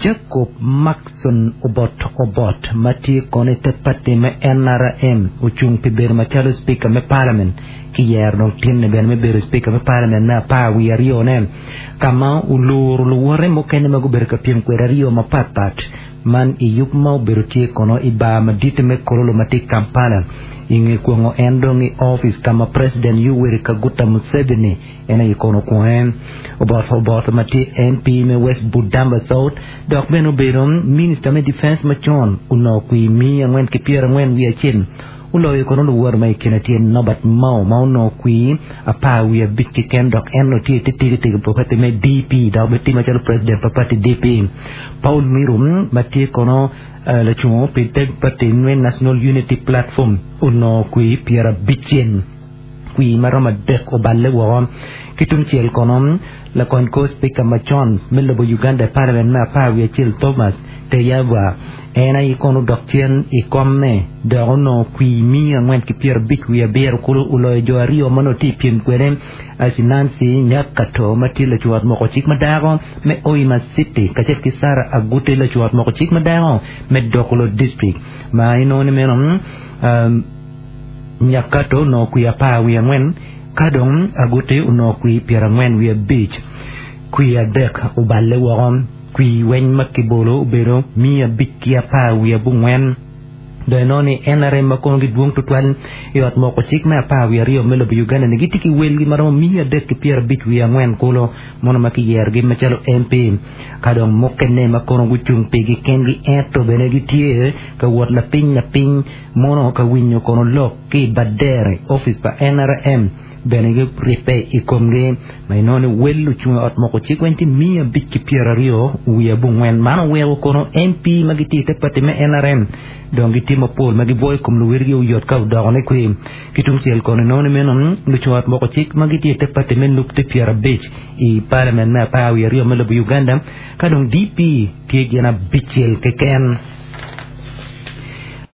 Jacob Markson Obot Obot ma tye kono i te pati me NRM ocung pi bedo macalo Speaker me Parliament ki yero dong tinne bene me bedo Speaker me Parliament me apar wiye aryo ne ka ma oluro luwote mukene ma gubedo ka pyem kwede aryo mapat pat Man i yub ma obedo tye kono i bar madit me Kololo ma tye i Kampala. I nge kwongo en dong i opic ka ma President Yoweri Kaguta Museveni en aye kono okwonge. Oboth Oboth ma tye MP me West Budamba South dok bene obedo Minista me Defence macon onongo kwir miya 441 oloyo kono luwote ma i kine tye Norbert Mao ma onongo kwir 15 keken dok en onongo tye i te tikitiki pa pati me DP dok bene tye macalo president pa pati DP. Paul Miru ma tye kono lacungo pi te pati me National Unity Platform onongo kwir 50 kwir ma romo adek oballe woko. Ki tungcel kono, lakony kor Spika macon me lobo Uganda i Parliament me 11 Thomas Tayebwa en aye kono odok cen i komme dok onongo kwir 457 kulu oloyo jo aryo ma onongo tye i pyem kwede Aci Nancy Nyakato ma tye lacwot moko cik ma dako me Hoima City kacel ki Sarah Aguti lacwot moko cik ma dako me Dokolo District ma inongo ni meno Nyakato onongo kwir 14 ka dong Aguti onongo kwir 45. Kwir adek oballe woko. Kwir weny ma kibolo obedo 514. Dong inongo ni NRM ma kono gidwong tutwal i ot moko cik me 12 me lobo Uganda ni gitye ki welgi ma romo 354 kulu mono ma kiyerogi macalo MP ka dong mukene ma kono gucung pigi kengi ento bene gitye ka wot lapiny lapiny Mono ka winyo kono lok ki i Badere, opic pa NRM bene giribbe i komgi ma inongo ni wel lucung i ot moko cik weng tye 529. Man oweko kono MP ma gitye i te pati me NRM dong gitye mapol ma gibwoyo kom luwotgi oyot ka odoko ni kwe. Ki tungcel kono inongo ni meno lucung i ot moko cik ma gitye i te pati me nup tye 50 i palament me 12 me lobo Uganda ka dong DP tye gin abicel keken.